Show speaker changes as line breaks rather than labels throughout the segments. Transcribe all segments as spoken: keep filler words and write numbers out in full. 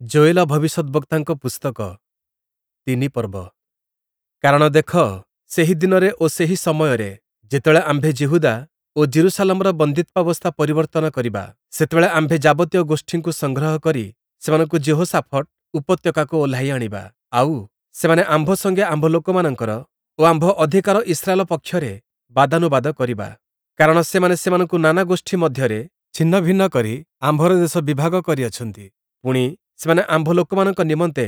ଯୋୟେଲ ଭବିଷ୍ୟଦ୍‌ବକ୍ତାଙ୍କ ପୁସ୍ତକ, ତିନି ପର୍ବ। କାରଣ ଦେଖ, ସେହି ଦିନରେ ଓ ସେହି ସମୟରେ ଯେତେବେଳେ ଆମ୍ଭେ ଯିହୁଦା ଓ ଯିରୂଶାଲମର ବନ୍ଦୀତ୍ୱାବସ୍ଥା ପରିବର୍ତ୍ତନ କରିବା, ସେତେବେଳେ ଆମ୍ଭେ ଯାବତୀୟ ଗୋଷ୍ଠୀଙ୍କୁ ସଂଗ୍ରହ କରି ସେମାନଙ୍କୁ ଯିହୋଶାଫଟ ଉପତ୍ୟକାକୁ ଓହ୍ଲାଇ ଆଣିବା। ଆଉ, ସେମାନେ ଆମ୍ଭ ସଙ୍ଗେ ଆମ୍ଭ ଲୋକମାନଙ୍କର ଓ ଆମ୍ଭ ଅଧିକାର ଇସ୍ରାଏଲ ପକ୍ଷରେ ବାଦାନୁବାଦ କରିବା। କାରଣ ସେମାନେ ସେମାନଙ୍କୁ ନାନା ଗୋଷ୍ଠୀ ମଧ୍ୟରେ ଛିନ୍ନଭିନ୍ନ କରି ଆମ୍ଭର ଦେଶ ବିଭାଗ କରିଅଛନ୍ତି। ପୁଣି, ସେମାନେ ଆମ୍ଭ ଲୋକମାନଙ୍କ ନିମନ୍ତେ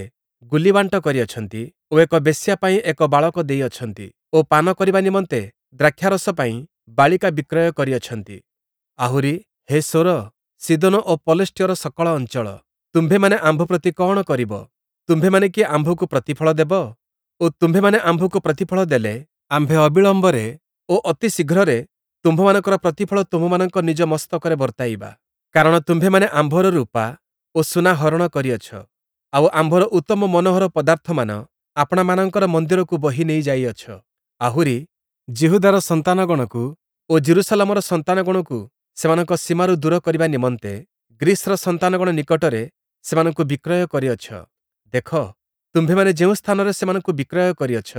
ଗୁଲିବାଣ୍ଟ କରିଅଛନ୍ତି ଓ ଏକ ବେଶ୍ୟା ପାଇଁ ଏକ ବାଳକ ଦେଇଅଛନ୍ତି ଓ ପାନ କରିବା ନିମନ୍ତେ ଦ୍ରାକ୍ଷାରସ ପାଇଁ ବାଳିକା ବିକ୍ରୟ କରିଅଛନ୍ତି। ଆହୁରି, ହେ ସୋର, ସୀଦୋନ ଓ ପଲେଷ୍ଟୀୟର ସକଳ ଅଞ୍ଚଳ, ତୁମ୍ଭେମାନେ ଆମ୍ଭ ପ୍ରତି କଅଣ କରିବ? ତୁମ୍ଭେମାନେ କି ଆମ୍ଭକୁ ପ୍ରତିଫଳ ଦେବ? ଓ ତୁମ୍ଭେମାନେ ଆମ୍ଭକୁ ପ୍ରତିଫଳ ଦେଲେ, ଆମ୍ଭେ ଅବିଳମ୍ବରେ ଓ ଅତି ଶୀଘ୍ରରେ ତୁମ୍ଭମାନଙ୍କର ପ୍ରତିଫଳ ତୁମ୍ଭମାନଙ୍କ ନିଜ ମସ୍ତକରେ ବର୍ତ୍ତାଇବା। କାରଣ ତୁମ୍ଭେମାନେ ଆମ୍ଭର ରୂପା ଓ ସୁନା ହରଣ କରିଅଛ, ଆଉ ଆମ୍ଭର ଉତ୍ତମ ମନୋହର ପଦାର୍ଥମାନ ଆପଣାମାନଙ୍କର ମନ୍ଦିରକୁ ବୋହି ନେଇ ଯାଇଅଛ। ଆହୁରି, ଯିହୁଦାର ସନ୍ତାନଗଣକୁ ଓ ଯିରୂଶାଲମର ସନ୍ତାନଗଣକୁ ସେମାନଙ୍କ ସୀମାରୁ ଦୂର କରିବା ନିମନ୍ତେ ଗ୍ରୀସ୍‌ର ସନ୍ତାନଗଣ ନିକଟରେ ସେମାନଙ୍କୁ ବିକ୍ରୟ କରିଅଛ। ଦେଖ, ତୁମ୍ଭେମାନେ ଯେଉଁ ସ୍ଥାନରେ ସେମାନଙ୍କୁ ବିକ୍ରୟ କରିଅଛ,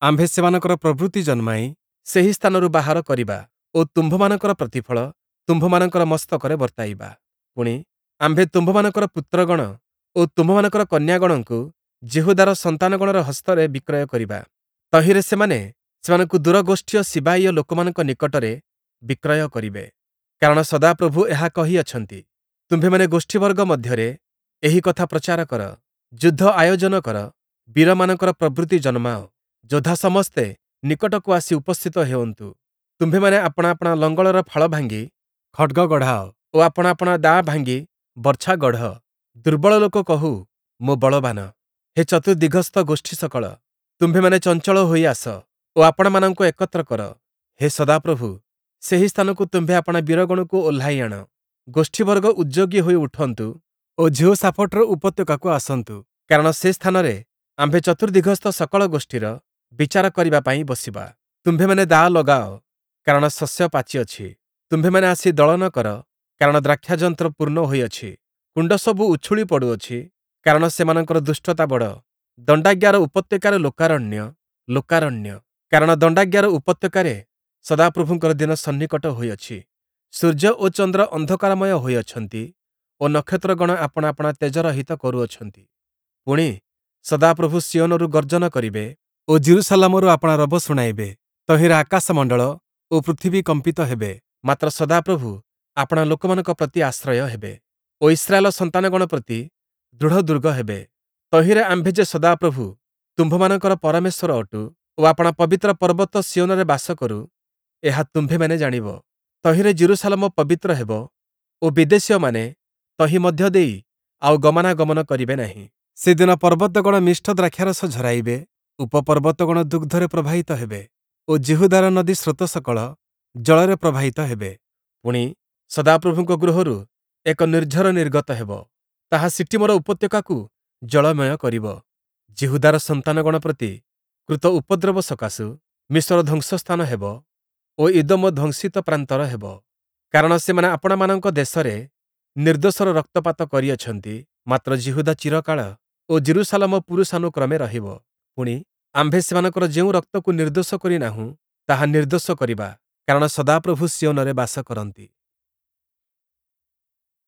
ଆମ୍ଭେ ସେମାନଙ୍କର ପ୍ରବୃତ୍ତି ଜନ୍ମାଇ ସେହି ସ୍ଥାନରୁ ବାହାର କରିବା ଓ ତୁମ୍ଭମାନଙ୍କର ପ୍ରତିଫଳ ତୁମ୍ଭମାନଙ୍କର ମସ୍ତକରେ ବର୍ତ୍ତାଇବା। ପୁଣି, ଆମ୍ଭେ ତୁମ୍ଭମାନଙ୍କର ପୁତ୍ରଗଣ ଓ ତୁମ୍ଭମାନଙ୍କର କନ୍ୟାଗଣଙ୍କୁ ଯିହୁଦାର ସନ୍ତାନଗଣର ହସ୍ତରେ ବିକ୍ରୟ କରିବା। ତହିଁରେ ସେମାନେ ସେମାନଙ୍କୁ ଦୂରଗୋଷ୍ଠୀୟ ସିବାୟୀୟ ଲୋକମାନଙ୍କ ନିକଟରେ ବିକ୍ରୟ କରିବେ। କାରଣ ସଦାପ୍ରଭୁ ଏହା କହିଅଛନ୍ତି, ତୁମ୍ଭେମାନେ ଗୋଷ୍ଠୀବର୍ଗ ମଧ୍ୟରେ ଏହି କଥା ପ୍ରଚାର କର, ଯୁଦ୍ଧ ଆୟୋଜନ କର, ବୀରମାନଙ୍କର ପ୍ରବୃତ୍ତି ଜନ୍ମାଅ, ଯୋଦ୍ଧା ସମସ୍ତେ ନିକଟକୁ ଆସି ଉପସ୍ଥିତ ହେଉନ୍ତୁ। ତୁମ୍ଭେମାନେ ଆପଣା ଆପଣା ଲଙ୍ଗଳର ଫାଳ ଭାଙ୍ଗି ଖଡ଼୍ଗ ଗଢ଼ାଅ ଓ ଆପଣା ଆପଣା ଦାଆ ଭାଙ୍ଗି ବର୍ଚ୍ଛା ଗଢ଼। ଦୁର୍ବଳ ଲୋକ କହୁ, ମୁଁ ବଳବାନ। ହେ ଚତୁର୍ଦ୍ଦିଗସ୍ଥ ଗୋଷ୍ଠୀ ସକଳ, ତୁମ୍ଭେମାନେ ଚଞ୍ଚଳ ହୋଇ ଆସ ଓ ଆପଣାମାନଙ୍କୁ ଏକତ୍ର କର। ହେ ସଦାପ୍ରଭୁ, ସେହି ସ୍ଥାନକୁ ତୁମ୍ଭେ ଆପଣା ବୀରଗଣକୁ ଓହ୍ଲାଇ ଆଣ। ଗୋଷ୍ଠୀବର୍ଗ ଉଦ୍ଯୋଗୀ ହୋଇ ଉଠନ୍ତୁ ଓ ଯିହୋଶାଫଟର ଉପତ୍ୟକାକୁ ଆସନ୍ତୁ। କାରଣ ସେ ସ୍ଥାନରେ ଆମ୍ଭେ ଚତୁର୍ଦ୍ଦିଗସ୍ଥ ସକଳ ଗୋଷ୍ଠୀର ବିଚାର କରିବା ପାଇଁ ବସିବା। ତୁମ୍ଭେମାନେ ଦାଆ ଲଗାଅ, କାରଣ ଶସ୍ୟ ପାଚିଅଛି। ତୁମ୍ଭେମାନେ ଆସି ଦଳନ କର, କାରଣ ଦ୍ରାକ୍ଷାଯନ୍ତ୍ର ପୂର୍ଣ୍ଣ ହୋଇଅଛି। କୁଣ୍ଡସବୁ ଉଛୁଳି ପଡ଼ୁଅଛି, କାରଣ ସେମାନଙ୍କର ଦୁଷ୍ଟତା ବଡ଼। ଦଣ୍ଡାଜ୍ଞାର ଉପତ୍ୟକାରେ ଲୋକାରଣ୍ୟ, ଲୋକାରଣ୍ୟ। କାରଣ ଦଣ୍ଡାଜ୍ଞାର ଉପତ୍ୟକାରେ ସଦାପ୍ରଭୁଙ୍କର ଦିନ ସନ୍ନିକଟ ହୋଇଅଛି। ସୂର୍ଯ୍ୟ ଓ ଚନ୍ଦ୍ର ଅନ୍ଧକାରମୟ ହୋଇଅଛନ୍ତି ଓ ନକ୍ଷତ୍ରଗଣ ଆପଣା ଆପଣା ତେଜରହିତ କରୁଅଛନ୍ତି। ପୁଣି, ସଦାପ୍ରଭୁ ସିୟୋନରୁ ଗର୍ଜନ କରିବେ ଓ ଯିରୂଶାଲମରୁ ଆପଣା ରବ ଶୁଣାଇବେ। ତହିଁରେ ଆକାଶମଣ୍ଡଳ ଓ ପୃଥିବୀ କମ୍ପିତ ହେବେ। ମାତ୍ର ସଦାପ୍ରଭୁ ଆପଣା ଲୋକମାନଙ୍କ ପ୍ରତି ଆଶ୍ରୟ ହେବେ ଓ ଇସ୍ରାଏଲ ସନ୍ତାନଗଣ ପ୍ରତି ଦୃଢ଼ ଦୁର୍ଗ ହେବେ। ତହିଁରେ ଆମ୍ଭେ ଯେ ସଦାପ୍ରଭୁ ତୁମ୍ଭମାନଙ୍କର ପରମେଶ୍ୱର ଅଟୁ ଓ ଆପଣା ପବିତ୍ର ପର୍ବତ ସିୟୋନରେ ବାସ କରୁ, ଏହା ତୁମ୍ଭେମାନେ ଜାଣିବ। ତହିଁରେ ଯିରୂଶାଲମ ପବିତ୍ର ହେବ ଓ ବିଦେଶୀୟମାନେ ତହିଁ ମଧ୍ୟ ଦେଇ ଆଉ ଗମନାଗମନ କରିବେ ନାହିଁ। ସେଦିନ ପର୍ବତଗଣ ମିଷ୍ଟ ଦ୍ରାକ୍ଷାରସ ଝରାଇବେ, ଉପପର୍ବତଗଣ ଦୁଗ୍ଧରେ ପ୍ରବାହିତ ହେବେ ଓ ଯିହୁଦାର ନଦୀ ସ୍ରୋତ ସକଳ ଜଳରେ ପ୍ରବାହିତ ହେବେ। ପୁଣି, ସଦାପ୍ରଭୁଙ୍କ ଗୃହରୁ ଏକ ନିର୍ଝର ନିର୍ଗତ ହେବ, ତାହା ଶିଟୀମର ଉପତ୍ୟକାକୁ ଜଳମୟ କରିବ। ଯିହୁଦାର ସନ୍ତାନଗଣ ପ୍ରତି କୃତ ଉପଦ୍ରବ ସକାଶୁ ମିଶର ଧ୍ୱଂସସ୍ଥାନ ହେବ ଓ ଇଦୋମ ଧ୍ୱଂସିତ ପ୍ରାନ୍ତର ହେବ। କାରଣ ସେମାନେ ଆପଣାମାନଙ୍କ ଦେଶରେ ନିର୍ଦ୍ଦୋଷର ରକ୍ତପାତ କରିଅଛନ୍ତି, ମାତ୍ର ଯିହୁଦା ଚିରକାଳ ଓ ଯିରୂଶାଲମ ପୁରୁଷାନୁକ୍ରମେ ରହିବ। ପୁଣି, ଆମ୍ଭେ ସେମାନଙ୍କର ଯେଉଁ ରକ୍ତକୁ ନିର୍ଦ୍ଦୋଷ କରି ନାହୁଁ, ତାହା ନିର୍ଦ୍ଦୋଷ କରିବା, କାରଣ ସଦାପ୍ରଭୁ ସିୟୋନରେ ବାସ କରନ୍ତି।